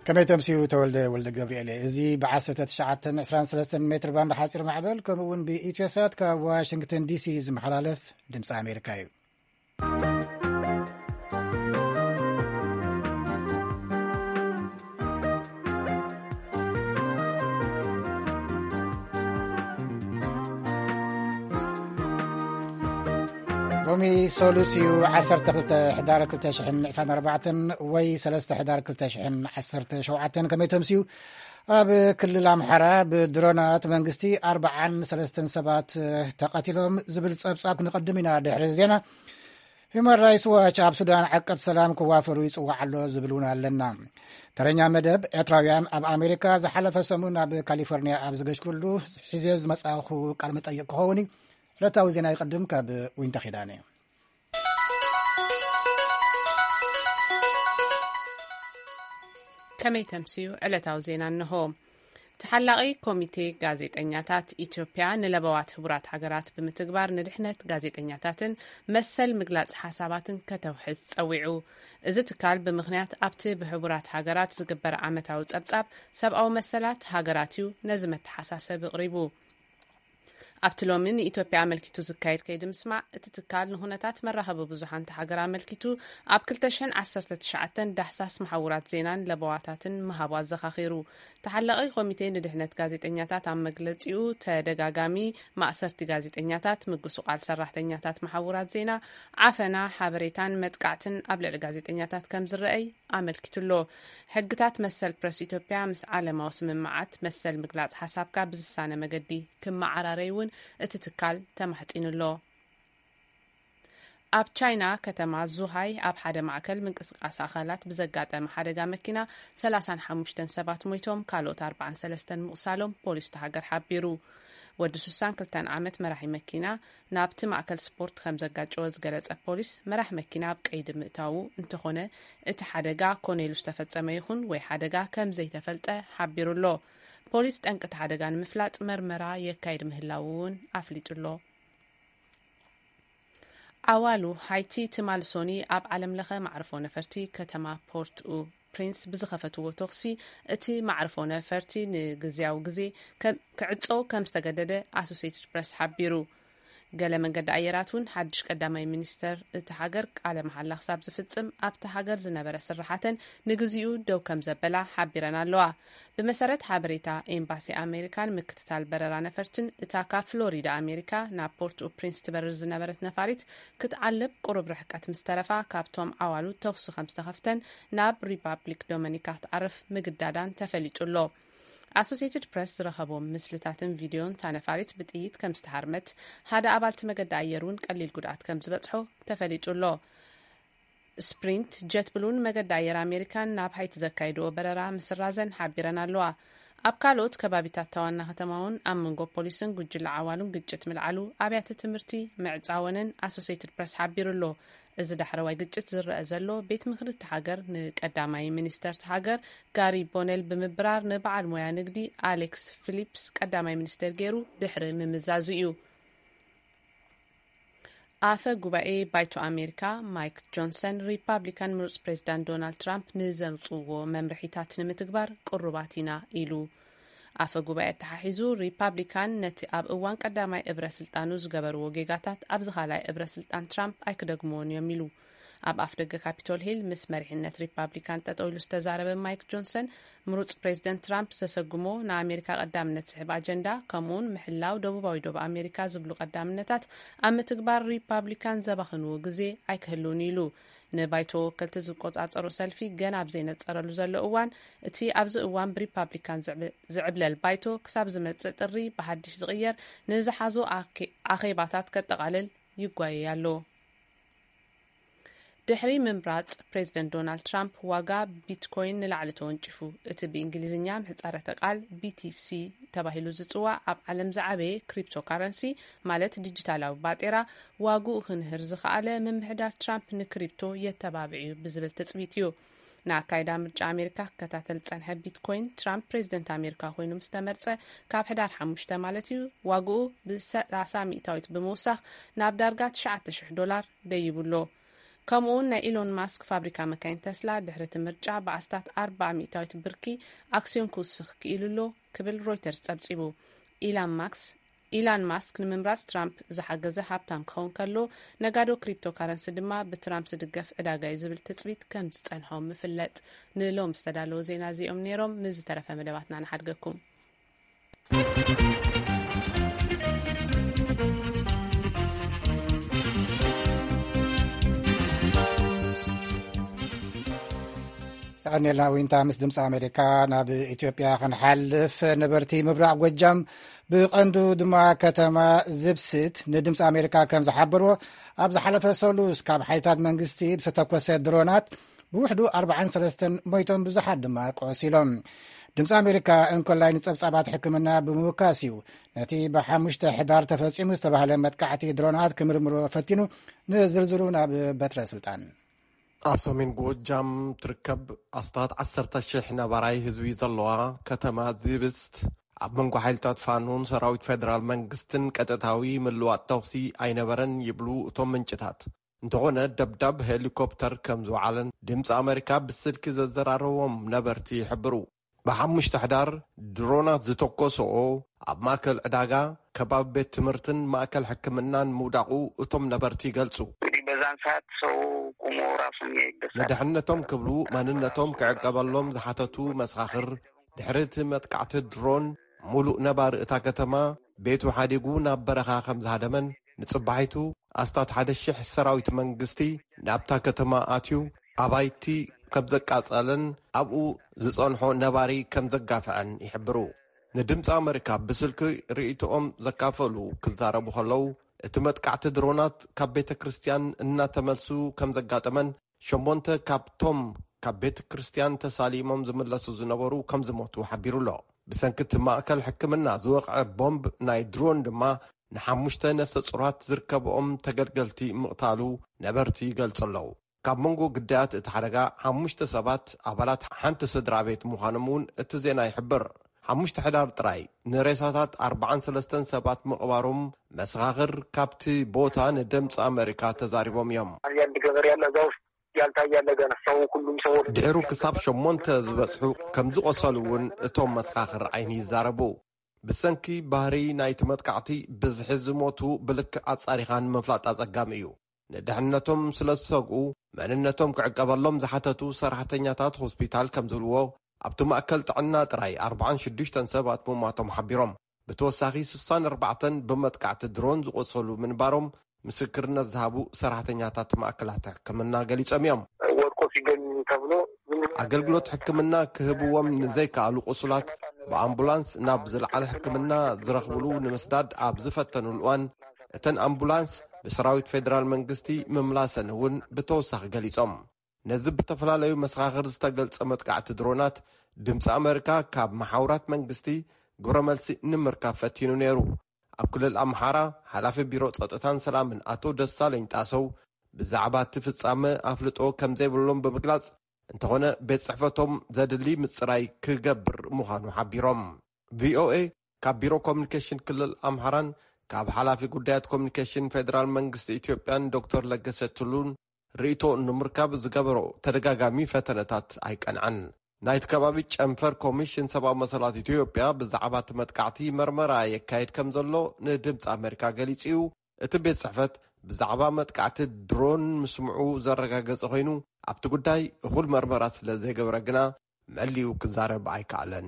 ከመይ ተምስዩ ተወልደ ወልደ ገብርኤል። እዚ ብ1923 ሜትር ባንድ ሓፂር ማዕበል ከምኡ እውን ብኢትዮሳት ካብ ዋሽንግተን ዲሲ ዝመሓላለፍ ድምፂ ኣሜሪካ እዩ። ሎሚ ሰሉስ እዩ፣ 12 ሕዳር 2024 ወይ 3 ሕዳር 2017። ከመይ ተምስዩ? ኣብ ክልል ኣምሓራ ብድሮናት መንግስቲ ኣርባዓን ሰለስተን ሰባት ተቐቲሎም ዝብል ጸብጻብ ክንቐድም ኢና። ድሕሪ ዜና፣ ሂዩማን ራይትስ ዋች ኣብ ሱዳን ዓቀብ ሰላም ክዋፈሩ ይጽዋዕ ኣሎ ዝብል እውን ኣለና። ተረኛ መደብ ኤርትራውያን ኣብ ኣሜሪካ ዝሓለፈ ሰሙን ኣብ ካሊፎርኒያ ኣብ ዝገሽክሉ ሒዘ ዝመጻኹ ቃል መጠይቕ ክኸውን እዩ። ዕለታዊ ዜና ይቐድም ካብ ዊንታ ኪዳነ። ከመይ ተምስዩ? ዕለታዊ ዜና እንሆ። ተሓላቒ ኮሚቴ ጋዜጠኛታት ኢትዮጵያ ንለበዋት ህቡራት ሃገራት ብምትግባር ንድሕነት ጋዜጠኛታትን መሰል ምግላጽ ሓሳባትን ከተውሕስ ጸዊዑ። እዚ ትካል ብምኽንያት ኣብቲ ብሕቡራት ሃገራት ዝግበር ዓመታዊ ጸብጻብ ሰብኣዊ መሰላት ሃገራት እዩ ነዚ መተሓሳሰቢ ኣቕሪቡ። ኣብቲ ሎሚ ንኢትዮጵያ ኣመልኪቱ ዝካየድ ከይዲ ምስማዕ፣ እቲ ትካል ንኹነታት መራኸቢ ብዙሃን እታ ሃገር ኣመልኪቱ ኣብ 2019 ዳህሳስ መሓውራት ዜናን ለበዋታትን ምሃቡ ኣዘኻኺሩ። ተሓላቒ ኮሚቴ ንድሕነት ጋዜጠኛታት ኣብ መግለጺኡ፣ ተደጋጋሚ ማእሰርቲ ጋዜጠኛታት፣ ምጉስቋል ሰራሕተኛታት መሓውራት ዜና፣ ዓፈና፣ ሓበሬታን መጥቃዕትን ኣብ ልዕሊ ጋዜጠኛታት ከም ዝረኣይ ኣመልኪቱ ኣሎ። ሕግታት መሰል ፕረስ ኢትዮጵያ ምስ ዓለማዊ ስምምዓት መሰል ምግላጽ ሓሳብካ ብዝሳነ መገዲ ክመዓራረይ እውን እቲ ትካል ተማሕጺኑ ኣሎ። ኣብ ቻይና ከተማ ዙሃይ ኣብ ሓደ ማእከል ምንቅስቃስ ኣካላት ብዘጋጠመ ሓደጋ መኪና 35 ሰባት ሞይቶም፣ ካልኦት 43 ምቑሳሎም ፖሊስ እታ ሃገር ሓቢሩ። ወዲ 62 ዓመት መራሒ መኪና ናብቲ ማእከል ስፖርት ከም ዘጋጨወ ዝገለጸ ፖሊስ፣ መራሕ መኪና ኣብ ቀይዲ ምእታዉ፣ እንተኾነ እቲ ሓደጋ ኮነ ኢሉ ዝተፈጸመ ይኹን ወይ ሓደጋ ከም ዘይተፈልጠ ሓቢሩ ኣሎ። ፖሊስ ጠንቂ እቲ ሓደጋ ንምፍላጥ መርመራ የካይድ ምህላዉ እውን ኣፍሊጡ ኣሎ። ዓዋሉ ሃይቲ ትማል ሶኒ ኣብ ዓለም ለኸ ማዕርፎ ነፈርቲ ከተማ ፖርት ኡ ፕሪንስ ብዝኸፈትዎ ተኹሲ፣ እቲ ማዕርፎ ነፈርቲ ንግዝያዊ ግዜ ከም፣ ክዕጾ ከም ዝተገደደ ኣሶሴትድ ፕረስ ሓቢሩ። ገለ መንገዲ ኣየራት እውን ሓድሽ ቀዳማይ ሚኒስተር እቲ ሃገር ቃለ መሓላ ክሳብ ዝፍጽም ኣብቲ ሃገር ዝነበረ ስራሓተን ንግዚኡ ደው ከም ዘበላ ሓቢረን ኣለዋ። ብመሰረት ሓበሬታ ኤምባሲ ኣሜሪካን ምክትታል በረራ ነፈርትን፣ እታ ካብ ፍሎሪዳ ኣሜሪካ ናብ ፖርት ኡ ፕሪንስ ትበርር ዝነበረት ነፋሪት ክትዓልብ ቁሩብ ርሕቀት ምስ ተረፋ፣ ካብቶም ዓዋሉ ተኹሲ ከም ዝተኸፍተን ናብ ሪፓብሊክ ዶመኒካ ክትዓርፍ ምግዳዳን ተፈሊጡ ኣሎ። ኣሶሴትድ ፕረስ ዝረኸቦም ምስልታትን ቪድዮን፣ እታ ነፋሪት ብጥይት ከም ዝተሃርመት፣ ሓደ ኣባልቲ መገዲ ኣየር እውን ቀሊል ጉድኣት ከም ዝበጽሖ ተፈሊጡ ኣሎ። ስፕሪንት ጀት ብሉን መገዲ ኣየር ኣሜሪካን ናብ ሃይቲ ዘካይድዎ በረራ ምስራዘን ሓቢረን ኣለዋ። ኣብ ካልኦት ከባቢታት እታ ዋና ከተማ እውን ኣብ መንጎ ፖሊስን ጉጅለ ዓዋሉን ግጭት ምልዓሉ፣ ኣብያተ ትምህርቲ ምዕጻወንን ኣሶሴትድ ፕረስ ሓቢሩ ኣሎ። እዚ ዳሕረዋይ ግጭት ዝረአ ዘሎ፣ ቤት ምኽሪ እታ ሃገር ንቀዳማይ ሚኒስተር እታ ሃገር ጋሪ ቦነል ብምብራር፣ ንበዓል ሞያ ንግዲ ኣሌክስ ፊሊፕስ ቀዳማይ ሚኒስተር ገይሩ ድሕሪ ምምዛዙ እዩ። ኣፈ ጉባኤ ባይቶ ኣሜሪካ ማይክ ጆንሰን፣ ሪፓብሊካን ምሩጽ ፕሬዚዳንት ዶናልድ ትራምፕ ንዘውጽእዎ መምርሒታት ንምትግባር ቅሩባት ኢና ኢሉ። ኣፈ ጉባኤ ኣተሓሒዙ፣ ሪፓብሊካን ነቲ ኣብ እዋን ቀዳማይ እብረ ስልጣኑ ዝገበርዎ ጌጋታት ኣብዚ ካልኣይ እብረ ስልጣን ትራምፕ ኣይክደግምዎን እዮም ኢሉ። ኣብ ኣፍደገ ካፒቶል ሂል ምስ መሪሕነት ሪፓብሊካን ጠጠው ኢሉ ዝተዛረበ ማይክ ጆንሰን፣ ምሩጽ ፕሬዚደንት ትራምፕ ዘሰጉሞ ንኣሜሪካ ቀዳምነት ዝሕብ ኣጀንዳ፣ ከምኡውን ምሕላው ደቡባዊ ዶብ ኣሜሪካ ዝብሉ ቀዳምነታት ኣብ ምትግባር ሪፓብሊካን ዘባኽንዎ ግዜ ኣይክህልውን ኢሉ። ንባይቶ ወከልቲ ዝቆጻጸሩ ሰልፊ ገና ኣብ ዘይነጸረሉ ዘሎ እዋን፣ እቲ ኣብዚ እዋን ብሪፓብሊካን ዝዕብ-፣ ዝዕብለል ባይቶ ክሳብ ዝመጽእ ጥሪ ብሓድሽ ዝቕየር ንዝሓዞ ኣኬ-፣ ኣኼባታት ከጠቓልል ይጓየይ ኣሎ። ድሕሪ ምምራጽ ፕሬዚደንት ዶናልድ ትራምፕ፣ ዋጋ ቢትኮይን ንላዕሊ ተወንጪፉ። እቲ ብእንግሊዝኛ ምህጻረ ቃል ቢ ቲ ሲ ተባሂሉ ዝጽዋዕ ኣብ ዓለም ዝዓበየ ክሪፕቶካረንሲ፣ ማለት ዲጂታላዊ ባጤራ፣ ዋግኡ ክንህር ዝኸኣለ፣ ምምሕዳር ትራምፕ ንክሪፕቶ የተባብዕ እዩ ብዝብል ትጽቢት እዩ። ንኣካይዳ ምርጫ ኣሜሪካ ክከታተል ዝጸንሐ ቢትኮይን፣ ትራምፕ ፕሬዚደንት ኣሜሪካ ኮይኑ ምስ ተመርጸ፣ ካብ ሕዳር ሓሙሽተ ማለት እዩ፣ ዋግኡ ብ30 ሚእታዊት ብምውሳኽ ናብ ዳርጋ ትሽዓተ ሽሕ ዶላር ደይቡ ኣሎ። ከምኡውን ናይ ኢሎን ማስክ ፋብሪካ መካይን ተስላ ድሕሪ እቲ ምርጫ ብኣስታት ኣርባዓ ሚእታዊት ብርኪ ኣክሲዮን ክውስኽ ክኢሉ ኣሎ ክብል ሮይተርስ ጸብጺቡ። ኢላን ማክስ ኢላን ማስክ ንምምራጽ ትራምፕ ዝሓገዘ ሃብታም ክኸውን ከሎ፣ ነጋዶ ክሪፕቶ ካረንሲ ድማ ብትራምፕ ዝድገፍ ዕዳጋ እዩ ዝብል ትጽቢት ከም ዝጸንሖ ምፍለጥ። ንሎም ዝተዳለወ ዜና እዚኦም ነይሮም። ምስ ዝተረፈ መደባትና ንሓድገኩም። የቐኔልና ዊንታ። ምስ ድምፂ ኣሜሪካ ናብ ኢትዮጵያ ክንሓልፍ፣ ነበርቲ ምብራቕ ጎጃም ብቐንዱ ድማ ከተማ ዝብስት ንድምፂ ኣሜሪካ ከም ዝሓበርዎ፣ ኣብ ዝሓለፈ ሰሉስ ካብ ሓይልታት መንግስቲ ብዝተተኮሰ ድሮናት ብውሕዱ ኣርባዓን ሰለስተን ሞይቶም፣ ብዙሓት ድማ ቆሲሎም። ድምፂ ኣሜሪካ እንኮላይ ንፀብፃባት ሕክምና ብምውካስ እዩ ነቲ ብሓሙሽተ ሕዳር ተፈፂሙ ዝተባህለ መጥቃዕቲ ድሮናት ክምርምሮ ፈቲኑ። ንዝርዝሩ ናብ በትረ ስልጣን። ኣብ ሰሜን ጎጃም ትርከብ ኣስታት ዓሰርተ ሽሕ ነባራይ ህዝቢ ዘለዋ ከተማ ዝብስት፣ ኣብ መንጎ ሓይልታት ፋኖን ሰራዊት ፌደራል መንግስትን ቀጥታዊ ምልዋጥ ተኹሲ ኣይነበረን ይብሉ እቶም ምንጭታት። እንተኾነ፣ ደብዳብ ሄሊኮፕተር ከም ዝወዓለን ድምፂ ኣመሪካ ብስልኪ ዘዘራረቦም ነበርቲ ይሕብሩ። ብሓሙሽተ ሕዳር ድሮናት ዝተኮሰኦ ኣብ ማእከል ዕዳጋ፣ ከባቢ ቤት ትምህርትን ማእከል ሕክምናን ምውዳቑ እቶም ነበርቲ ይገልጹ። እንግዲህ በዛን ሰዓት ሰው ቁሞ ራሱን የሚያይበት ሰዓት። ንድሕነቶም ክብሉ ማንነቶም ክዕቀበሎም ዝሓተቱ መሰኻኽር፣ ድሕሪ እቲ መጥቃዕቲ ድሮን፣ ሙሉእ ነባሪ እታ ከተማ ቤቱ ሓዲጉ ናብ በረኻ ከም ዝሃደመን፣ ንጽባሒቱ ኣስታት ሓደ ሽሕ ሰራዊት መንግስቲ ናብታ ከተማ ኣትዩ ኣባይቲ ከም ዘቃጸለን ኣብኡ ዝጸንሖ ነባሪ ከም ዘጋፍዐን ይሕብሩ። ንድምፂ ኣመሪካ ብስልኪ ርእይቶኦም ዘካፈሉ ክዛረቡ ከለዉ፣ እቲ መጥቃዕቲ ድሮናት ካብ ቤተ ክርስቲያን እናተመልሱ ከም ዘጋጠመን፣ ሸሞንተ ካብቶም ካብ ቤተ ክርስቲያን ተሳሊሞም ዝምለሱ ዝነበሩ ከም ዝሞቱ ሓቢሩ ኣሎ። ብሰንኪ እቲ ማእከል ሕክምና ዝወቕዐ ቦምብ ናይ ድሮን ድማ ንሓሙሽተ ነፍሰ ጹራት ዝርከብኦም ተገልገልቲ ምቕታሉ ነበርቲ ይገልጹ ኣለዉ። ካብ መንጎ ግዳያት እቲ ሓደጋ ሓሙሽተ ሰባት ኣባላት ሓንቲ ስድራ ቤት ምዃኖም እውን እቲ ዜና ይሕብር። ሓሙሽተ ሕዳር ጥራይ ንሬሳታት ኣርባዓን ሰለስተን ሰባት ምቕባሮም መሰኻኽር ካብቲ ቦታ ንድምፂ ኣመሪካ ተዛሪቦም እዮም። አንድ ገበሬ ያለ እዛ ውስጥ ያልታየ ያለ ገና ሰው ሁሉም ሰው ወደ ድሕሩ ክሳብ ሸሞንተ ዝበጽሑ ከም ዝቖሰሉ እውን እቶም መሰኻኽር ዓይኒ ይዛረቡ። ብሰንኪ ባህሪ ናይቲ መጥቃዕቲ ብዝሒ ዝሞቱ ብልክዕ ኣጻሪኻ ንምፍላጥ ኣጸጋሚ እዩ። ንድሕነቶም ስለ ዝሰግኡ፣ መንነቶም ክዕቀበሎም ዝሓተቱ ሰራሕተኛታት ሆስፒታል ከም ዝብልዎ፣ ኣብቲ ማእከል ጥዕና ጥራይ ኣርባዓን ሽዱሽተን ሰባት ምሟቶም ሓቢሮም። ብተወሳኺ ስሳን ኣርባዕተን ብመጥቃዕቲ ድሮን ዝቖሰሉ ምንባሮም ምስክርነት ዝሃቡ ሰራሕተኛታት ማእከላት ሕክምና ገሊጾም እዮም። ወድቆ ሲገኝ ተብሎ ዝም ብሎ ኣገልግሎት ሕክምና ክህብዎም ንዘይከኣሉ ቁሱላት ብኣምቡላንስ ናብ ዝለዓለ ሕክምና ዝረኽብሉ ንምስዳድ ኣብ ዝፈተኑሉ እዋን፣ እተን ኣምቡላንስ ብሰራዊት ፌደራል መንግስቲ ምምላሰን እውን ብተወሳኺ ገሊጾም። ነዚ ብተፈላለዩ መሰኻኽር ዝተገልጸ መጥቃዕቲ ድሮናት ድምፂ ኣመሪካ ካብ መሓውራት መንግስቲ ግብረ መልሲ ንምርካብ ፈቲኑ ነይሩ። ኣብ ክልል ኣምሓራ ሓላፊ ቢሮ ጸጥታን ሰላምን ኣቶ ደሳለኝ ጣሰው ብዛዕባ እቲ ፍጻመ ኣፍልጦ ከም ዘይብሎም ብምግላጽ፣ እንተኾነ ቤት ጽሕፈቶም ዘድሊ ምጽራይ ክገብር ምዃኑ ሓቢሮም። ቪኦኤ ካብ ቢሮ ኮሚኒኬሽን ክልል ኣምሓራን ካብ ሓላፊ ጉዳያት ኮሚኒኬሽን ፌደራል መንግስቲ ኢትዮጵያን ዶክተር ለገሰ ቱሉን ርእይቶ ንምርካብ ዝገበሮ ተደጋጋሚ ፈተነታት ኣይቀንዐን። ናይቲ ከባቢ ጨንፈር ኮሚሽን ሰብኣዊ መሰላት ኢትዮጵያ ብዛዕባ እቲ መጥቃዕቲ መርመራ የካይድ ከም ዘሎ ንድምፂ ኣመሪካ ገሊጹ እዩ። እቲ ቤት ጽሕፈት ብዛዕባ መጥቃዕቲ ድሮን ምስምዑ ዘረጋገጸ ኮይኑ፣ ኣብቲ ጉዳይ እኹል መርመራ ስለ ዘይገበረ ግና መሊኡ ክዛረብ ኣይከኣለን።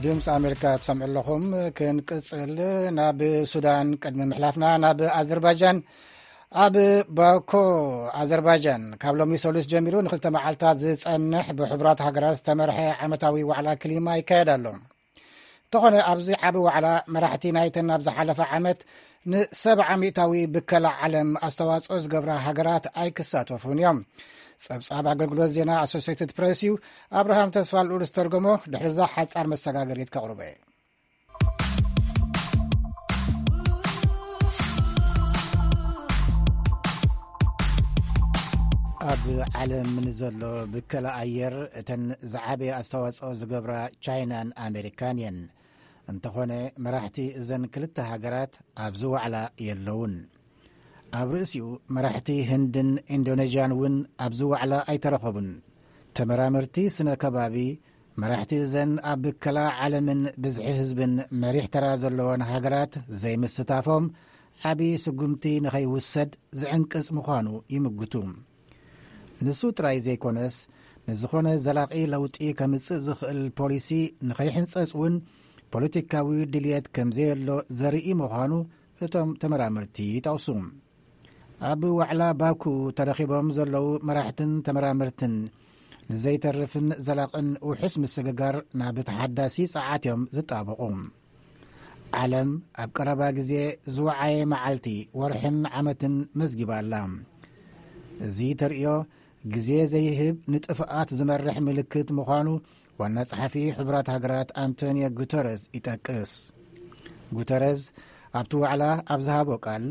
ድምፂ ኣሜሪካ ትሰምዑ ኣለኹም። ክንቅፅል ናብ ሱዳን ቅድሚ ምሕላፍና፣ ናብ ኣዘርባይጃን። ኣብ ባኮ ኣዘርባይጃን ካብ ሎሚ ሰሉስ ጀሚሩ ንክልተ መዓልታት ዝፀንሕ ብሕቡራት ሃገራት ዝተመርሐ ዓመታዊ ዋዕላ ክሊማ ይካየድ ኣሎ። እንተኾነ ኣብዚ ዓቢ ዋዕላ መራሕቲ ናይተን ኣብ ዝሓለፈ ዓመት ንሰብዓ ሚእታዊ ብከላ ዓለም ኣስተዋፅኦ ዝገብራ ሃገራት ኣይክሳተፉን እዮም። ጸብጻብ ኣገልግሎት ዜና ኣሶሴትድ ፕሬስ እዩ። ኣብርሃም ተስፋ ልኡል ዝተርጎሞ፣ ድሕሪዛ ሓጻር መሰጋገሪት ከቕርቦ እየ። ኣብ ዓለም ንዘሎ ብከላ ኣየር እተን ዝዓበየ ኣስተዋጽኦ ዝገብራ ቻይናን ኣሜሪካን እየን። እንተኾነ፣ መራሕቲ እዘን ክልተ ሃገራት ኣብዚ ዋዕላ የለውን። ኣብ ርእሲኡ፣ መራሕቲ ህንድን ኢንዶኔዥያን እውን ኣብዚ ዋዕላ ኣይተረኸቡን። ተመራመርቲ ስነ ከባቢ፣ መራሕቲ እዘን ኣብ ብከላ ዓለምን ብዝሒ ህዝብን መሪሕ ተራ ዘለወን ሃገራት ዘይምስታፎም፣ ዓቢ ስጉምቲ ንኸይውሰድ ዝዕንቅጽ ምዃኑ ይምግቱ። ንሱ ጥራይ ዘይኮነስ፣ ንዝኾነ ዘላቒ ለውጢ ከምጽእ ዝኽእል ፖሊሲ ንኸይሕንጸጽ እውን ፖለቲካዊ ድልየት ከም ዘየሎ ዘርኢ ምዃኑ እቶም ተመራመርቲ ይጠቕሱ። ኣብ ዋዕላ ባኩ ተረኺቦም ዘለዉ መራሕትን ተመራመርትን፣ ንዘይተርፍን ዘላቕን ውሑስ ምስግጋር ናብ ተሓዳሲ ጸዓት እዮም ዝጣበቑ። ዓለም ኣብ ቀረባ ግዜ ዝወዓየ መዓልቲ፣ ወርሕን ዓመትን መዝጊባ ኣላ። እዚ ተርእዮ፣ ግዜ ዘይህብ ንጥፍኣት ዝመርሕ ምልክት ምዃኑ ዋና ጸሓፊ ሕቡራት ሃገራት ኣንቶኒዮ ጉተረዝ ይጠቅስ። ጉተረዝ ኣብቲ ዋዕላ ኣብ ዝሃቦ ቃል፣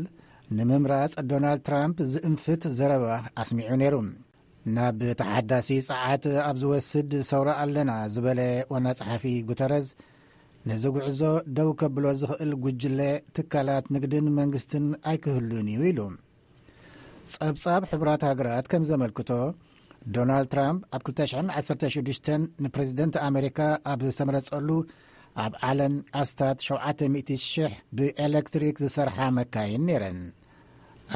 ንምምራጽ ዶናልድ ትራምፕ ዝእንፍት ዘረባ ኣስሚዑ ነይሩ። ናብ ተሓዳሲ ጸዓት ኣብ ዝወስድ ሰውራ ኣለና ዝበለ ዋና ጸሓፊ ጉተረዝ፣ ነዚ ጉዕዞ ደው ከብሎ ዝኽእል ጉጅለ፣ ትካላት ንግድን መንግስትን ኣይክህሉን እዩ ኢሉ። ጸብጻብ ሕቡራት ሃገራት ከም ዘመልክቶ፣ ዶናልድ ትራምፕ ኣብ ክልተ ሽሕን ዓሰርተ ሽዱሽተን ንፕሬዚደንት ኣሜሪካ ኣብ ዝተመረጸሉ፣ ኣብ ዓለም ኣስታት ሸውዓተ ሚእቲ ሽሕ ብኤሌክትሪክ ዝሰርሓ መካይን ነይረን።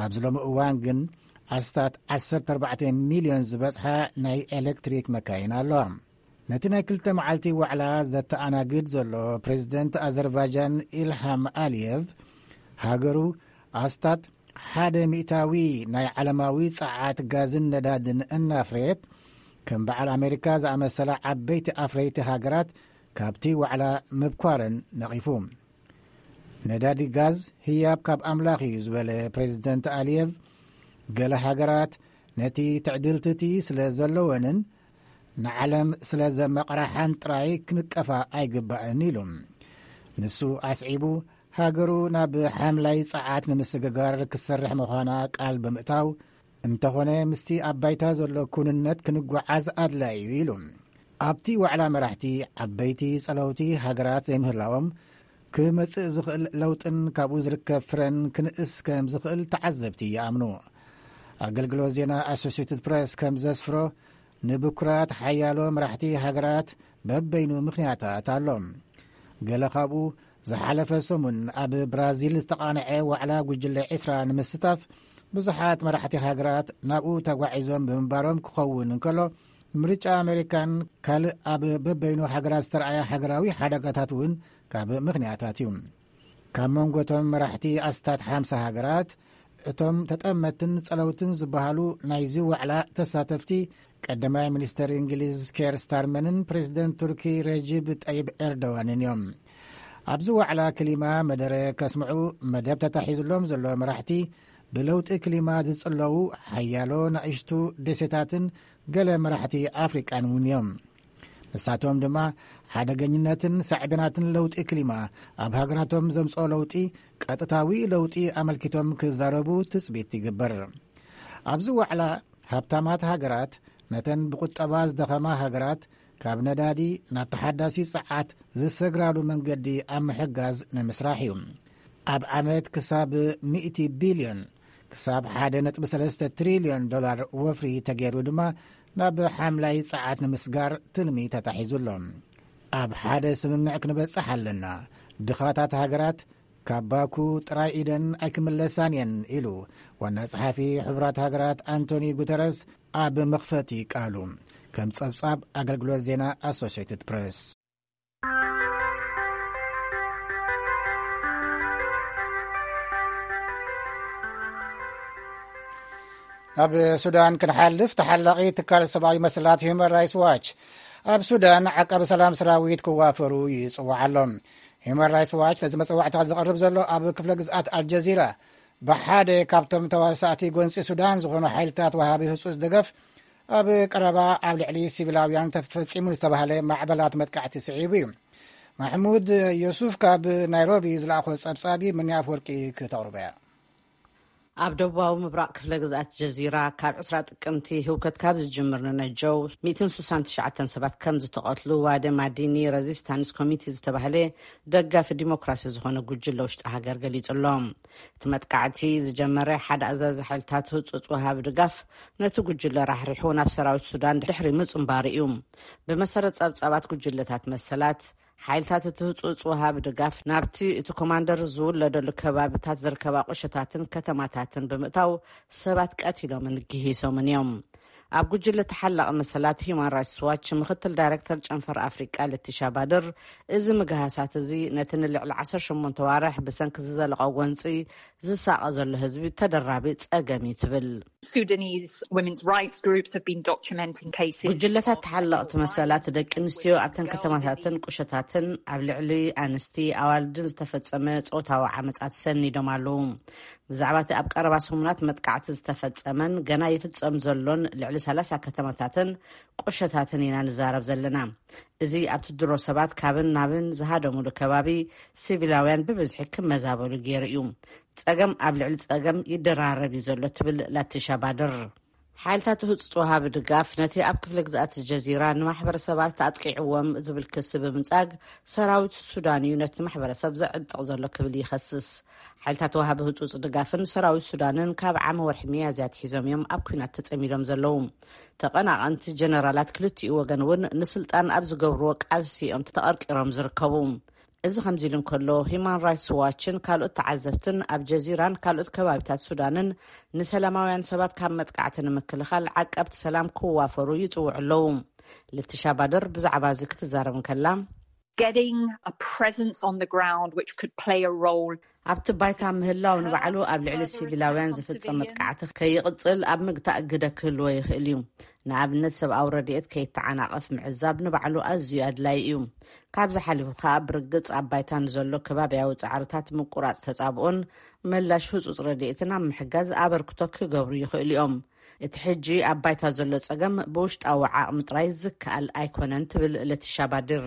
ኣብዚ ሎሚ እዋን ግን ኣስታት ዓሰርተ ኣርባዕተ ሚልዮን ዝበጽሓ ናይ ኤሌክትሪክ መካይን ኣለዋ። ነቲ ናይ ክልተ መዓልቲ ዋዕላ ዘተኣናግድ ዘሎ ፕሬዚደንት ኣዘርባይጃን ኢልሃም ኣልየቭ፣ ሃገሩ ኣስታት ሓደ ሚእታዊ ናይ ዓለማዊ ጸዓት ጋዝን ነዳድን እናፍረየት፣ ከም በዓል ኣሜሪካ ዝኣመሰላ ዓበይቲ ኣፍረይቲ ሃገራት ካብቲ ዋዕላ ምብኳረን ነቒፉ። ነዳዲ ጋዝ ህያብ ካብ ኣምላኽ እዩ ዝበለ ፕሬዚደንት ኣልየቭ፣ ገለ ሃገራት ነቲ ትዕድልቲ እቲ ስለ ዘለወንን ንዓለም ስለ ዘመቕራሓን ጥራይ ክንቀፋ ኣይግባእን ኢሉ። ንሱ ኣስዒቡ፣ ሃገሩ ናብ ሓምላይ ጸዓት ንምስግጋር ክትሰርሕ ምዃና ቃል ብምእታው፣ እንተኾነ ምስቲ ኣብ ባይታ ዘሎ ኩንነት ክንጓዓዝ ኣድላዪ እዩ ኢሉ። ኣብቲ ዋዕላ መራሕቲ ዓበይቲ ጸለውቲ ሃገራት ዘይምህላዎም፣ ክመጽእ ዝኽእል ለውጥን ካብኡ ዝርከብ ፍረን ክንእስ ከም ዝኽእል ተዓዘብቲ ይኣምኑ። ኣገልግሎት ዜና ኣሶሲየትድ ፕሬስ ከም ዘስፍሮ፣ ንብኩራት ሓያሎ መራሕቲ ሃገራት በበይኑ ምኽንያታት ኣሎ። ገለ ካብኡ፣ ዝሓለፈ ሰሙን ኣብ ብራዚል ዝተቓንዐ ዋዕላ ጉጅለ ዕስራ ንምስታፍ ብዙሓት መራሕቲ ሃገራት ናብኡ ተጓዒዞም ብምንባሮም ክኸውን እንከሎ፣ ምርጫ ኣሜሪካን ካልእ ኣብ በበይኑ ሃገራት ዝተረኣየ ሃገራዊ ሓደጋታት እውን ካብ ምኽንያታት እዩ። ካብ መንጎ እቶም መራሕቲ ኣስታት ሓምሳ ሃገራት፣ እቶም ተጠመትን ጸለውትን ዝበሃሉ ናይዚ ዋዕላ ተሳተፍቲ፣ ቀዳማይ ሚኒስተር እንግሊዝ ኬር ስታርመርን ፕሬዚደንት ቱርኪ ረጂብ ጠይብ ኤርዶዋንን እዮም። ኣብዚ ዋዕላ ክሊማ መደረ ከስምዑ መደብ ተታሒዙሎም ዘሎ መራሕቲ፣ ብለውጢ ክሊማ ዝጽለዉ ሓያሎ ናእሽቱ ደሴታትን ገለ መራሕቲ ኣፍሪቃን እውን እዮም። ንሳቶም ድማ፣ ሓደገኝነትን ሳዕቤናትን ለውጢ ክሊማ ኣብ ሃገራቶም ዘምጽኦ ለውጢ፣ ቀጥታዊ ለውጢ ኣመልኪቶም ክዛረቡ ትጽቢት ይግበር። ኣብዚ ዋዕላ፣ ሃብታማት ሃገራት ነተን ብቁጠባ ዝደኸማ ሃገራት ካብ ነዳዲ ናብ ተሓዳሲ ጸዓት ዝሰግራሉ መንገዲ ኣብ ምሕጋዝ ንምስራሕ እዩ። ኣብ ዓመት ክሳብ ሚእቲ ቢልዮን፣ ክሳብ ሓደ ነጥቢ ሰለስተ ትሪልዮን ዶላር ወፍሪ ተገይሩ ድማ፣ ናብ ሓምላይ ጸዓት ንምስጋር ትልሚ ተታሒዙ ኣሎ። ኣብ ሓደ ስምምዕ ክንበጽሕ ኣለና። ድኻታት ሃገራት ካብ ባኩ ጥራይ ኢደን ኣይክምለሳን እየን ኢሉ ዋና ጸሓፊ ሕቡራት ሃገራት ኣንቶኒ ጉተረስ ኣብ መኽፈቲ ቃሉ፣ ከም ጸብጻብ ኣገልግሎት ዜና ኣሶሲየትድ ፕሬስ። ናብ ሱዳን ክንሓልፍ፣ ተሓላቒ ትካል ሰብኣዊ መሰላት ሂውማን ራይትስ ዋች ኣብ ሱዳን ዓቃቢ ሰላም ሰራዊት ክዋፈሩ ይጽውዓ ኣሎ። ሂውማን ራይትስ ዋች ነዚ መጽዋዕታ ዘቕርብ ዘሎ ኣብ ክፍለ ግዝኣት ኣልጀዚራ፣ ብሓደ ካብቶም ተዋሳእቲ ጎንጺ ሱዳን ዝኾኑ ሓይልታት ወሃቢ ህጹጽ ደገፍ ኣብ ቀረባ ኣብ ልዕሊ ሲቪላውያን ተፈጺሙ ዝተባህለ ማዕበላት መጥቃዕቲ ስዒቡ እዩ። ማሕሙድ ዮሱፍ ካብ ናይሮቢ ዝለኣኾ ጸብጻብ ምንያ ኣፍወርቂ ክተቕርቦ እያ። ኣብ ደቡባዊ ምብራቕ ክፍለ ግዝኣት ጀዚራ ካብ ዕስራ ጥቅምቲ ህውከት ካብ ዝጅምር ንነጀው ሚእትን ስሳን ትሽዓተን ሰባት ከም ዝተቐትሉ ዋደ ማዲኒ ረዚስታንስ ኮሚቴ ዝተባህለ ደጋፊ ዲሞክራሲ ዝኾነ ጉጅለ ውሽጢ ሃገር ገሊጹ ኣሎ። እቲ መጥቃዕቲ ዝጀመረ ሓደ ኣዛዚ ሓይልታት ህጹጽ ወሃቢ ድጋፍ ነቲ ጉጅለ ራሕሪሑ ናብ ሰራዊት ሱዳን ድሕሪ ምጽንባሩ እዩ። ብመሰረት ጸብጻባት ጉጅለታት መሰላት፣ ሓይልታት እቲ ህጹጽ ወሃቢ ድጋፍ ናብቲ እቲ ኮማንደር ዝውለደሉ ከባቢታት ዝርከባ ቁሸታትን ከተማታትን ብምእታው ሰባት ቀቲሎምን ግሂሶምን እዮም። ኣብ ጉጅለ ተሓላቒ መሰላት ሂዩማን ራይትስ ዋች ምክትል ዳይረክተር ጨንፈር ኣፍሪቃ ለቲሻ ባድር፣ እዚ ምግሃሳት እዚ ነቲ ንልዕሊ ዓሰርተ ሸሞንተ ዋርሕ ብሰንኪ ዝዘለቐ ጎንፂ ዝሳቐ ዘሎ ህዝቢ ተደራቢ ጸገም እዩ ትብል። Sudanese women's rights groups have been documenting cases. ጉጅለታት ተሓለቕቲ መሰላት ደቂ ኣንስትዮ ኣብተን ከተማታትን ቁሸታትን ኣብ ልዕሊ ኣንስቲ ኣዋልድን ዝተፈጸመ ጾታዊ ዓመጻት ሰኒዶም ኣለዉ። ብዛዕባ እቲ ኣብ ቀረባ ሰሙናት መጥቃዕቲ ዝተፈጸመን ገና ይፍጸም ዘሎን ልዕሊ ሰላሳ ከተማታትን ቁሸታትን ኢና ንዛረብ ዘለና። እዚ ኣብቲ ድሮ ሰባት ካብን ናብን ዝሃደሙሉ ከባቢ ሲቪላውያን ብብዝሒ ክመዛበሉ ገይሩ እዩ። ጸገም ኣብ ልዕሊ ጸገም ይደራረብ እዩ ዘሎ ትብል ላቲሻ ባድር። ሓይልታት ህጹጽ ወሃቢ ድጋፍ ነቲ ኣብ ክፍለ ግዝኣት ጀዚራ ንማሕበረሰባት ኣጥቂዕዎም ዝብል ክሲ ብምንጻግ፣ ሰራዊት ሱዳን እዩ ነቲ ማሕበረሰብ ዘዕጥቕ ዘሎ ክብል ይኸስስ። ሓይልታት ወሃቢ ህጹጽ ድጋፍን ሰራዊት ሱዳንን ካብ ዓሚ ወርሒ ሚያዝያ ኣትሒዞም እዮም ኣብ ኲናት ተጸሚዶም ዘለዉ። ተቐናቐንቲ ጀነራላት ክልቲኡ ወገን እውን ንስልጣን ኣብ ዝገብርዎ ቃልሲ እዮም ተቐርቂሮም ዝርከቡ። እዚ ከምዚ ኢሉ እንከሎ፣ ሂማን ራይትስ ዋችን ካልኦት ተዓዘብትን ኣብ ጀዚራን ካልኦት ከባቢታት ሱዳንን ንሰላማውያን ሰባት ካብ መጥቃዕቲ ንምክልኻል ዓቀብቲ ሰላም ክዋፈሩ ይጽውዑ ኣለዉ። ልትሻ ባድር ብዛዕባ እዚ ክትዛረብ እንከላ፣ Getting a presence on the ground which could play a role ኣብቲ ባይታ ምህላው ንባዕሉ ኣብ ልዕሊ ሲቪላውያን ዝፍጸም መጥቃዕቲ ከይቕጽል ኣብ ምግታእ ግደ ክህልዎ ይኽእል እዩ። ንኣብነት፣ ሰብኣዊ ረድኤት ከይተዓናቐፍ ምዕዛብ ንባዕሉ ኣዝዩ ኣድላዪ እዩ። ካብዚ ሓሊፉ ከኣ፣ ብርግጽ ኣብ ባይታ ንዘሎ ከባብያዊ ጻዕርታት ምቁራጽ ተጻብኦን ምላሽ ህጹጽ ረድኤትን ኣብ ምሕጋዝ ኣበርክቶ ክገብሩ ይኽእሉ እዮም። እቲ ሕጂ ኣብ ባይታ ዘሎ ጸገም ብውሽጣዊ ዓቕሚ ጥራይ ዝከኣል ኣይኮነን ትብል ለቲሻ ባድር።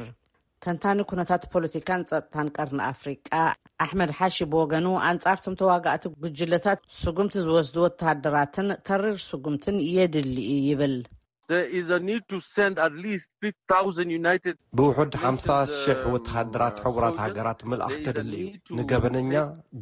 ተንታኒ ኩነታት ፖለቲካን ጸጥታን ቀርኒ ኣፍሪቃ ኣሕመድ ሓሺ ብወገኑ፣ ኣንጻርቶም ተዋጋእቲ ጉጅለታት ስጉምቲ ዝወስዱ ወተሃደራትን ተሪር ስጉምትን የድሊ እዩ ይብል። There is a need to send at least fifty thousand United ብውሑድ ሓምሳ ሽሕ ወተሃደራት ሕቡራት ሃገራት ምልኣኽ ከድሊ እዩ። ንገበነኛ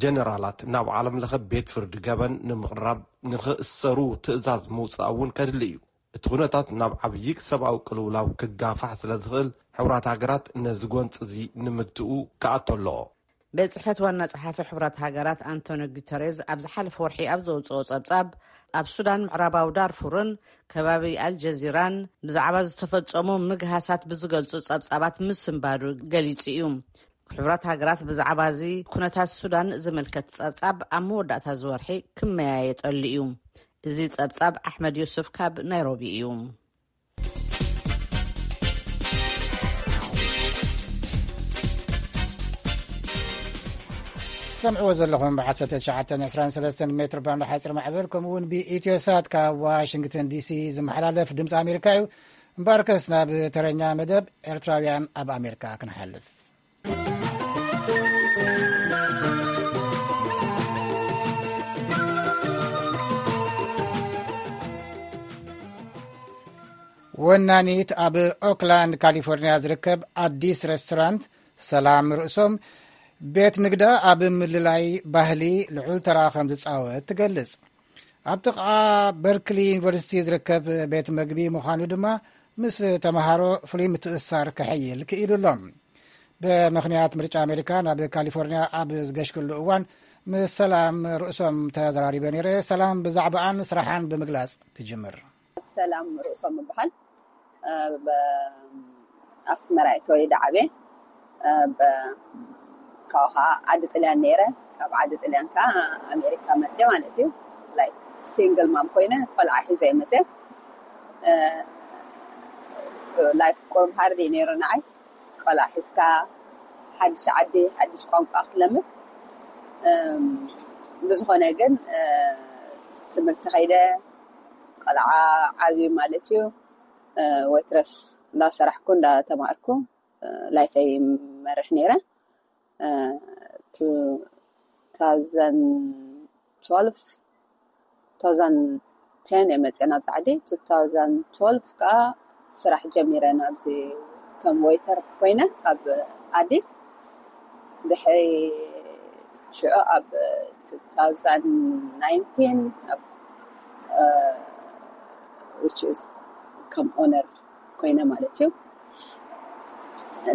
ጀነራላት ናብ ዓለም ለኸ ቤት ፍርዲ ገበን ንምቕራብ ንኽእሰሩ ትእዛዝ ምውጻእ እውን ከድሊ እዩ። እቲ ኩነታት ናብ ዓብዪ ሰብኣዊ ቅልውላው ክጋፋሕ ስለ ዝኽእል፣ ሕቡራት ሃገራት ነዚ ጎንፂ እዚ ንምግትኡ ክኣቶ ኣለዎ። ቤት ጽሕፈት ዋና ጸሓፊ ሕቡራት ሃገራት ኣንቶኒ ጉተሬዝ ኣብ ዝሓለፈ ወርሒ ኣብ ዘውጽኦ ጸብጻብ፣ ኣብ ሱዳን ምዕራባዊ ዳርፉርን ከባቢ ኣልጀዚራን ብዛዕባ ዝተፈጸሙ ምግሃሳት ብዝገልጹ ጸብጻባት ምስንባዱ ገሊጹ እዩ። ሕቡራት ሃገራት ብዛዕባ እዚ ኩነታት ሱዳን ዝምልከት ጸብጻብ ኣብ መወዳእታ እዚ ወርሒ ክመያየጠሉ እዩ። እዚ ጸብጻብ ኣሕመድ ዩሱፍ ካብ ናይሮቢ እዩ። ሰምዕዎ ዘለኹም ብ ዓሰርተ ትሽዓተ ዕስራን ሰለስተን ሜትር ባንድ ሓፂር ማዕበል፣ ከምኡ እውን ብኢትዮ ሳት ካብ ዋሽንግተን ዲሲ ዝመሓላለፍ ድምፂ ኣሜሪካ እዩ። እምበኣርከስ ናብ ተረኛ መደብ ኤርትራውያን ኣብ ኣሜሪካ ክንሓልፍ። ወናኒት ኣብ ኦክላንድ ካሊፎርኒያ ዝርከብ ኣዲስ ሬስቶራንት ሰላም ርእሶም፣ ቤት ንግዳ ኣብ ምልላይ ባህሊ ልዑል ተራ ከም ዝጻወት ትገልጽ። ኣብ ጥቓ በርክሊ ዩኒቨርሲቲ ዝርከብ ቤት መግቢ ምዃኑ ድማ ምስ ተምሃሮ ፍሉይ ምትእስሳር ከሐይል ክኢሉ ኣሎ። ብምኽንያት ምርጫ ኣሜሪካ ናብ ካሊፎርኒያ ኣብ ዝገሽክሉ እዋን ምስ ሰላም ርእሶም ተዘራሪበ ነይረ። ሰላም ብዛዕባኣን ስራሓን ብምግላጽ ትጅምር። ሰላም ርእሶም እበሃል። ብ ኣስመራ እየ ተወሊደ ዓብየ። ብ-፣ ካብኡ ከዓ ዓዲ ጥልያን ነይረ። ካብ ዓዲ ጥልያን ከዓ ኣሜሪካ መፅየ ማለት እዩ። ላይክ ሲንግል ማም ኮይነ ቆልዓ ሒዘ እየ መፅየ። ላይፍ ቁሩብ ሃርድ እዩ ነይሩ ንዓይ። ቆልዓ ሒዝካ ሓድሽ ዓዲ፣ ሓድሽ ቋንቋ ክትለምድ። እም፣ ብዝኾነ ግን፣ እ፣ ትምህርቲ ከይደ፣ ቆልዓ ዓብዩ ማለት እዩ። እ፣ ዌትረስ እንዳሰራሕኩ እንዳተማሃርኩ፣ እ፣ ላይፈይ መርሕ ነይረ። እ፣ ቱ ታውዘንድ ትወልቭ two thousand ten እየ መፅአ ናብዚ ዓዲ። Two thousand twelve ከዓ ስራሕ ጀሚረ ናብዚ ከም ዌይተር ኮይነ ኣብ ኣዲስ። ድሕሪ ሽዑ ኣብ two thousand nineteen ኣብ which is ከም ኦነር ኮይነ ማለት እዩ።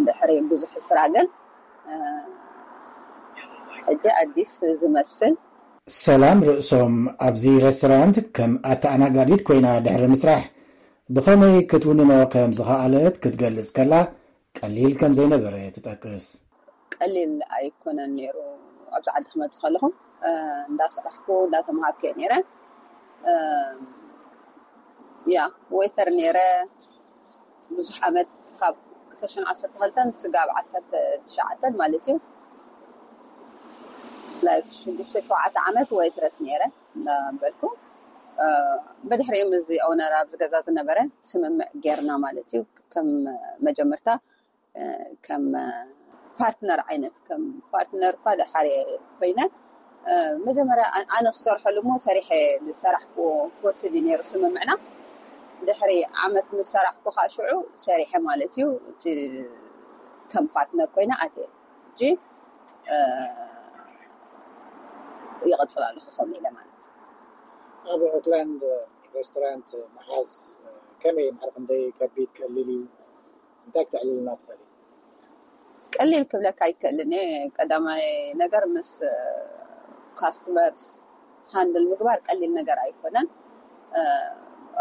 ድሕሪ ብዙሕ ስራግል ሕጂ ኣዲስ ዝመስል። ሰላም ርእሶም ኣብዚ ሬስቶራንት ከም ኣተኣናጋዲት ኮይና ድሕሪ ምስራሕ ብኸመይ ክትውንኖ ከም ዝኸኣለት ክትገልጽ ከላ ቀሊል ከም ዘይነበረ ትጠቅስ። ቀሊል ኣይኮነን ነይሩ። ኣብዚ ዓዲ ክመፅእ ከለኹ እንዳሰራሕኩ እንዳተምሃርኩ እየ ነይረ። ያ ዌይተር ነይረ ብዙሕ ዓመት፣ ካብ ክልተ ሽሕን ዓሰርተ ክልተን ስጋብ ዓሰርተ ትሽዓተ ማለት እዩ። ላይክ ሽዱሽተ ሸውዓተ ዓመት ዌይትረስ ነይረ እንዳበልኩ፣ ብድሕሪኡ ምስዚ ኦነር ኣብዚ ገዛ ዝነበረ ስምምዕ ጌርና ማለት እዩ። ከም መጀመርታ ከም ፓርትነር ዓይነት፣ ከም ፓርትነር እኳ ደሓር ኮይነ፣ መጀመርያ ኣነ ክሰርሐሉ እሞ ሰሪሐ ዝሰራሕኩዎ ክወስድ እዩ ነይሩ ስምምዕና። ድሕሪ ዓመት ምስ ሰራሕኩ ከዓ ሽዑ ሰሪሐ ማለት እዩ። እቲ ከም ፓርትነር ኮይነ ኣትየ። ሕጂ ይቕፅል ኣለኹ ከምኡ ኢለ ማለት። ኣብ ኦክላንድ ሬስቶራንት ምሓዝ ከመይ እዩ? ማዕረ ክንደይ ከቢድ ቀሊል እዩ? እንታይ ክተዕልልና ትኽእል? ቀሊል ክብለካ ኣይክእልን እየ። ቀዳማይ ነገር ምስ ካስተመርስ ሃንድል ምግባር ቀሊል ነገር ኣይኮነን።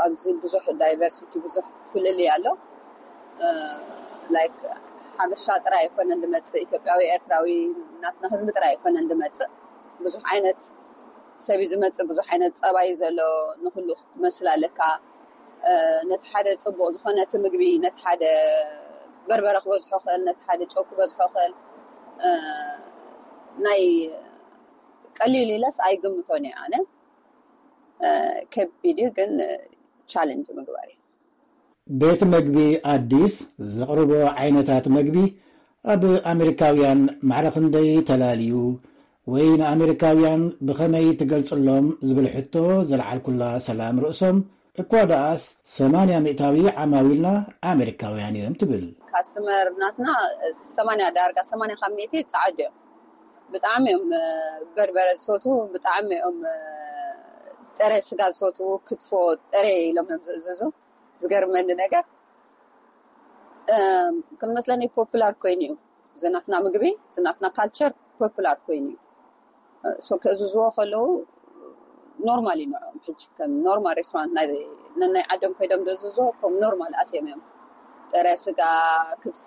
ኣብዚ ብዙሕ ዳይቨርሲቲ፣ ብዙሕ ፍልልይ ኣሎ። ላይክ ሓበሻ ጥራይ ኣይኮነን ዝመፅእ፣ ኢትዮጵያዊ፣ ኤርትራዊ፣ ናትና ህዝቢ ጥራይ ኣይኮነን ዝመፅእ። ብዙሕ ዓይነት ሰብ እዩ ዝመፅእ፣ ብዙሕ ዓይነት ፀባይ ዘሎ። ንኩሉ ክትመስል ኣለካ። ነቲ ሓደ ፅቡቕ ዝኾነ እቲ ምግቢ፣ ነቲ ሓደ በርበረ ክበዝሖ ክእል፣ ነቲ ሓደ ጨው ክበዝሖ ክእል። ናይ ቀሊል ኢለስ ኣይግምቶን እየ ኣነ። ከቢድ እዩ ግን ቻለንጅ ምግባር እዩ። ቤት መግቢ ኣዲስ ዘቕርቦ ዓይነታት መግቢ ኣብ ኣሜሪካውያን ማዕረ ክንደይ ተላልዩ ወይ ንኣሜሪካውያን ብኸመይ ትገልጽሎም ዝብል ሕቶ ዘልዓልኩላ ሰላም ርእሶም፣ እኳ ደኣስ ሰማንያ ሚእታዊ ዓማዊልና ኣሜሪካውያን እዮም ትብል። ካስተመር ናትና ሰማንያ፣ ዳርጋ ሰማንያ ካብ ሚእቲ ጸዓዱ እዮም። ብጣዕሚ እዮም በርበረ ዝፈትዉ፣ ብጣዕሚ እዮም ጥረ ስጋ ዝፈትዉ። ክትፎ ጥረ ኢሎም እዮም ዝእዝዙ። ዝገርመኒ ነገር ከም መስለኒ ፖፑላር ኮይኑ እዩ። ዝናትና ምግቢ፣ ዝናትና ካልቸር ፖፑላር ኮይኑ እዩ። ሶ ክእዝዝዎ ከለዉ ኖርማል እዩ ንዕኦም። ሕጂ ከም ኖርማል ሬስቶራንት ናይ ነናይ ዓዶም ከይዶም ዝእዝዝዎ ከም ኖርማል ኣትዮም እዮም። ጥረ ስጋ፣ ክትፎ፣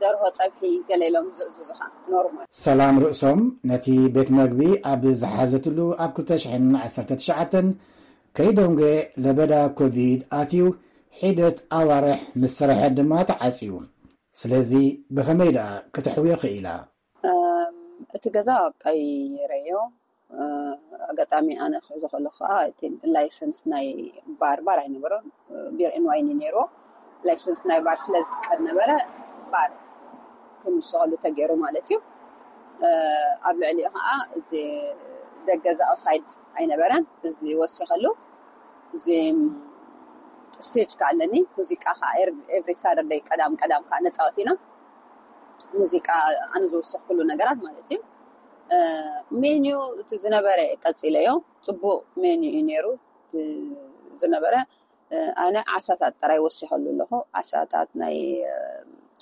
ደርሆ ጸብሒ ገለ ኢሎም ዝእዝዙኻ ኖርማል። ሰላም ርእሶም ነቲ ቤት መግቢ ኣብ ዝሓዘትሉ ኣብ ክልተ ሽሕን ዓሰርተ ትሽዓተን ከይደንጎ ለበዳ ኮቪድ ኣትዩ ሒደት ኣዋርሕ ምስ ሰርሐት ድማ ተዓጽዩ። ስለዚ ብኸመይ ደኣ ክተሕውዮ ክኢላ? እቲ ገዛ ቀይረዮ። ኣጋጣሚ ኣነ ክሕዞ ከለኹ ከዓ እቲ ላይሰንስ ናይ ባር፣ ባር ኣይነበሮን፣ ቢር ኤን ዋይን እዩ ነይርዎ። ላይሰንስ ናይ ባር ስለ ዝጥቀድ ነበረ ባር ክንስቐሉ ተገይሩ ማለት እዩ። ኣብ ልዕሊኡ ከዓ እዚ ደገ እዚ ኣውሳይድ ኣይነበረን። እዚ ወሲኸሉ እዚ ስቴጅ ከዓ ኣለኒ። ሙዚቃ ከዓ ኤቭሪ ሳተርደይ ቀዳም ቀዳም ከዓ ነፃወት ኢና። ሙዚቃ ኣነ ዝወሰኽኩሉ ነገራት ማለት እዩ። ሜኒዩ እቲ ዝነበረ ቀፂለዮ። ፅቡቅ ሜኒዩ እዩ ነይሩ ዝነበረ። ኣነ ዓሳታት ጥራይ ወሲኸሉ ኣለኹ። ዓሳታት ናይ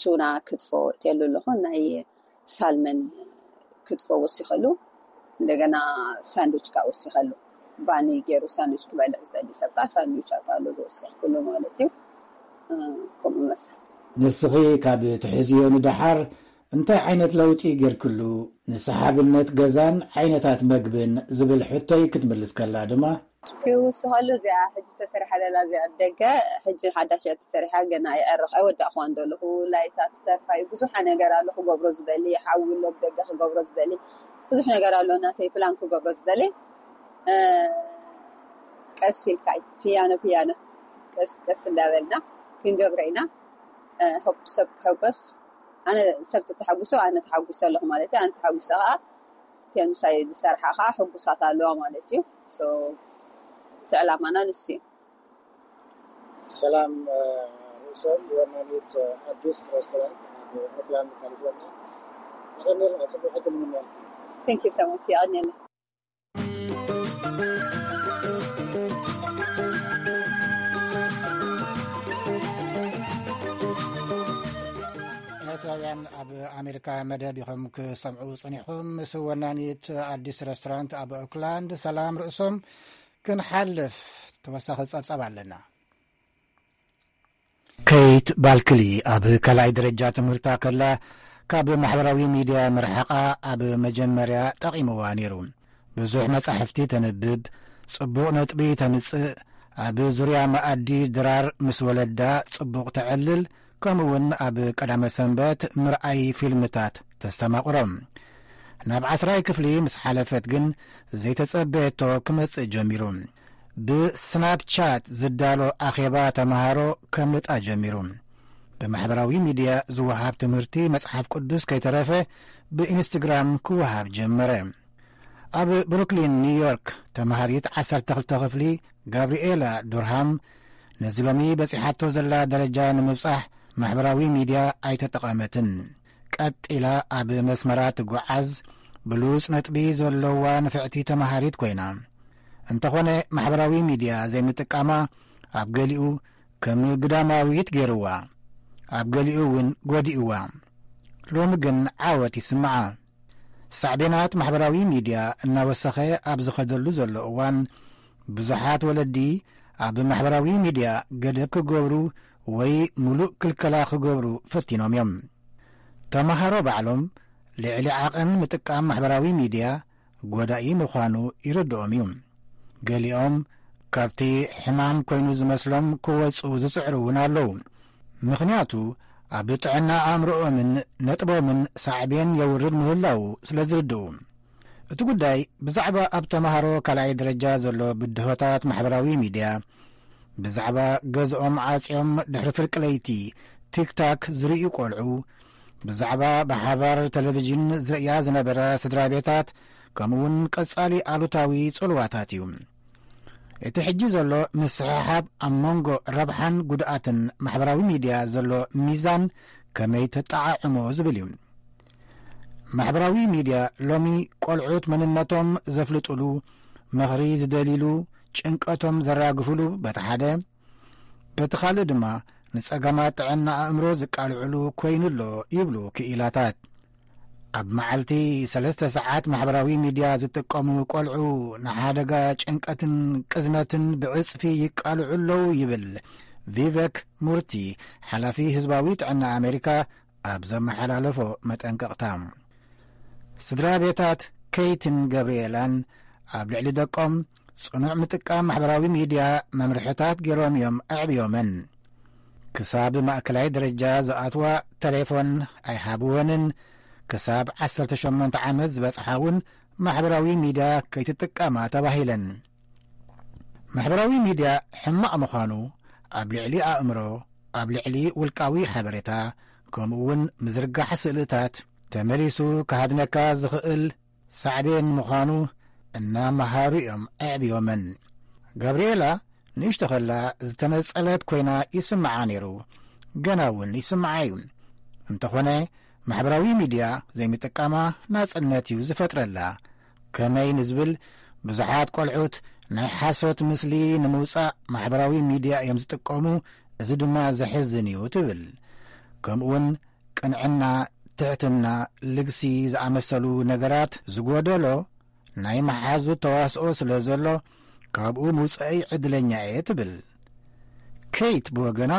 ቱና ክትፎ እትየሉ ኣለኹ። ናይ ሳልመን ክትፎ ወሲኸሉ። እንደገና ሳንድዊች ከዓ ወሲኸሉ። ባኒ ገይሩ ሳንድዊች ክበልዕ ዝደሊ ሰብ ከዓ ሳንድዊች ኣታሉ ዝወሰኽኩሉ ማለት እዩ። ከምኡ መሰል። ንስኺ ካብ ትሕዝዮ ንደሓር እንታይ ዓይነት ለውጢ ጌርክሉ? ንሰሓብነት ገዛን ዓይነታት መግብን ዝብል ሕቶይ ክትምልስ ከላ ድማ፣ ክውስኸሉ እዚኣ ሕጂ ተሰሪሓ ዘላ እዚኣ ደገ ሕጂ ሓዳሽ እያ ተሰሪሓ፣ ገና ይዕርቕ ኣይወዳእኽዋን ዘለኹ። ላይታ ትተርፋ እዩ። ብዙሕ ነገር ኣሎ ክገብሮ ዝደሊ፣ ሓዊ ኣሎ ብደገ ክገብሮ ዝደሊ፣ ብዙሕ ነገር ኣሎ ናተይ ፕላን ክገብሮ ዝደሊ። ቀስ ኢልካ እዩ ፒያኖ ፒያኖ ቀስ ቀስ እንዳበልና ክንገብረ ኢና። ሆፕ ሰብ ክሕጎስ፣ ኣነ ሰብ ተተሓጉሶ ኣነ ተሓጉሰ ኣለኹ ማለት እዩ። ኣነ ተሓጉሰ ከዓ እተን ምሳይ ዝሰርሓ ከዓ ሕጉሳት ኣለዋ ማለት እዩ። So እቲ ዕላማና ንሱ እዩ። ሰላም፣ እ፣ ርእሶም ወናኒት፣ እ፣ ኣዲስ ሬስቶራንት ኣብ ኦክላንድ ካሊፎርኒያ። የቐንየልና፣ ጽቡቕ ዕድል ንምነየልኪ። Thank you so much። የቐንየልና። ኤርትራውያን ኣብ ኣሜሪካ መደብ ኢኹም ክሰምዑ ጸኒሕኩም። ምስ ወናኒት ኣዲስ ሬስቶራንት ኣብ ኦክላንድ ሰላም ርእሶም ክንሓልፍ ተወሳኺ ጸብጻብ ኣለና። ኬይት ባልክሊ ኣብ ካልኣይ ደረጃ ትምህርታ ከላ ካብ ማሕበራዊ ሚድያ ምርሓቓ ኣብ መጀመርያ ጠቒምዋ ነይሩ። ብዙሕ መጻሕፍቲ ተንብብ፣ ጽቡቕ ነጥቢ ተምጽእ፣ ኣብ ዙርያ መኣዲ ድራር ምስ ወለዳ ጽቡቕ ተዕልል፣ ከምኡውን ኣብ ቀዳመ ሰንበት ምርኣይ ፊልምታት ተስተማቕሮ። ናብ ዓስራይ ክፍሊ ምስ ሓለፈት ግን ዘይተጸበየቶ ክመጽእ ጀሚሩ። ብስናፕቻት ዝዳሎ ኣኼባ ተመሃሮ ከምልጣ ጀሚሩ። ብማሕበራዊ ሚድያ ዝወሃብ ትምህርቲ መጽሓፍ ቅዱስ ከይተረፈ ብኢንስትግራም ክወሃብ ጀመረ። ኣብ ብሩክሊን ኒውዮርክ ተመሃሪት ዓሰርተ ክልተ ክፍሊ ጋብሪኤላ ዱርሃም ነዚ ሎሚ በጺሓቶ ዘላ ደረጃ ንምብጻሕ ማሕበራዊ ሚድያ ኣይተጠቐመትን። ቀጥ ኢላ ኣብ መስመራ ትጓዓዝ፣ ብሉጽ ነጥቢ ዘለዋ ንፍዕቲ ተመሃሪት ኮይና። እንተኾነ ማሕበራዊ ሚድያ ዘይምጥቃማ ኣብ ገሊኡ ከም ግዳማዊት ገይርዋ፣ ኣብ ገሊኡ እውን ጎዲእዋ። ሎሚ ግን ዓወት ይስምዓ። ሳዕቤናት ማሕበራዊ ሚድያ እናወሰኸ ኣብ ዝኸደሉ ዘሎ እዋን፣ ብዙሓት ወለዲ ኣብ ማሕበራዊ ሚድያ ገደብ ክገብሩ ወይ ሙሉእ ክልከላ ክገብሩ ፈቲኖም እዮም። ተመሃሮ ባዕሎም ልዕሊ ዓቐን ምጥቃም ማሕበራዊ ሚድያ ጎዳኢ ምዃኑ ይርድኦም እዩ። ገሊኦም ካብቲ ሕማም ኮይኑ ዝመስሎም ክወጹ ዝጽዕሩ እውን ኣለዉ። ምኽንያቱ ኣብ ጥዕና ኣእምሮኦምን ነጥቦምን ሳዕቤን የውርድ ምህላዉ ስለ ዝርድኡ። እቲ ጉዳይ ብዛዕባ ኣብ ተመሃሮ ካልኣይ ደረጃ ዘሎ ብድሆታት ማሕበራዊ ሚድያ፣ ብዛዕባ ገዝኦም ዓጽዮም ድሕሪ ፍርቂ ለይቲ ቲክታክ ዝርእዩ ቆልዑ፣ ብዛዕባ ብሓባር ቴሌቪዥን ዝርእያ ዝነበራ ስድራ ቤታት፣ ከምኡውን ቀጻሊ ኣሉታዊ ጽልዋታት እዩ። እቲ ሕጂ ዘሎ ምስሕሓብ ኣብ መንጎ ረብሓን ጉድኣትን ማሕበራዊ ሚድያ ዘሎ ሚዛን ከመይ ተጠዓዕሞ ዝብል እዩ። ማሕበራዊ ሚድያ ሎሚ ቆልዑት መንነቶም ዘፍልጡሉ፣ ምኽሪ ዝደልዩሉ፣ ጭንቀቶም ዘራግፉሉ በቲ ሓደ፣ በቲ ካልእ ድማ ንጸገማት ጥዕና ኣእምሮ ዝቃልዕሉ ኮይኑ ኣሎ ይብሉ ክኢላታት። ኣብ መዓልቲ ሰለስተ ሰዓት ማሕበራዊ ሚድያ ዝጥቀሙ ቆልዑ ንሓደጋ ጭንቀትን ቅዝነትን ብዕጽፊ ይቃልዑ ኣለዉ ይብል ቪቨክ ሙርቲ፣ ሓላፊ ህዝባዊ ጥዕና ኣሜሪካ፣ ኣብ ዘመሓላለፎ መጠንቀቕታ። ስድራ ቤታት ኬይትን ገብርኤላን ኣብ ልዕሊ ደቆም ጽኑዕ ምጥቃም ማሕበራዊ ሚድያ መምርሕታት ገይሮም እዮም ኣዕብዮመን። ክሳብ ማእከላይ ደረጃ ዝኣትዋ ተሌፎን ኣይሃብወንን፣ ክሳብ ዓሰርተ ሸሞንተ ዓመት ዝበጽሓ እውን ማሕበራዊ ሚድያ ከይትጥቀማ ተባሂለን። ማሕበራዊ ሚድያ ሕማቕ ምዃኑ ኣብ ልዕሊ ኣእምሮ፣ ኣብ ልዕሊ ውልቃዊ ሓበሬታ፣ ከምኡ እውን ምዝርጋሕ ስእልታት ተመሊሱ ክሃድነካ ዝኽእል ሳዕቤን ምዃኑ እናመሃሩ እዮም ኣዕብዮመን። ጋብርኤላ ንእሽቶ ኸላ ዝተነጸለት ኮይና ይስምዓ ነይሩ፣ ገና እውን ይስምዓ እዩ። እንተኾነ ማሕበራዊ ሚድያ ዘይምጥቃማ ናጽነት እዩ ዝፈጥረላ። ከመይ ንዝብል፣ ብዙሓት ቆልዑት ናይ ሓሶት ምስሊ ንምውጻእ ማሕበራዊ ሚድያ እዮም ዝጥቀሙ፣ እዚ ድማ ዘሕዝን እዩ ትብል። ከምኡውን ቅንዕና፣ ትሕትና፣ ልግሲ ዝኣመሰሉ ነገራት ዝጎደሎ ናይ መሓዙት ተዋስኦ ስለ ዘሎ፣ ካብኡ ምውጻኢ ዕድለኛ እየ ትብል። ኬይት ብወገና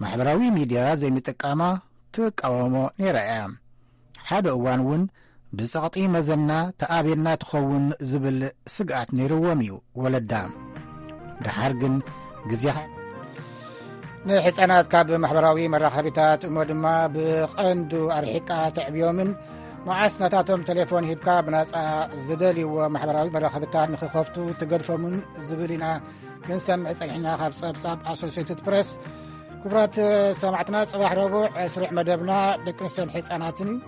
ማሕበራዊ ሚድያ ዘይምጥቃማ ትቃወሞ ነይራ እያ። ሓደ እዋን እውን ብጸቕጢ መዘና ተኣብየና ትኸውን ዝብል ስግኣት ነይርዎም እዩ ወለዳ። ደሓር ግን ግዜኻ ንሕፃናት ካብ ማሕበራዊ መራኸቢታት እሞ ድማ ብቐንዱ ኣርሒቃ ተዕብዮምን መዓስ ናታቶም ቴሌፎን ሂብካ ብናፃ ዝደልይዎ ማሕበራዊ መራኸቢታት ንክኸፍቱ ትገድፎምን ዝብል ኢና ክንሰምዕ ጸኒሕና ካብ ጸብጻብ ኣሶሲየትድ ፕሬስ። ክቡራት ሰማዕትና፣ ጽባሕ ረቡዕ ስሩዕ መደብና ደቂ ኣንስትዮን ሕጻናትን እዩ።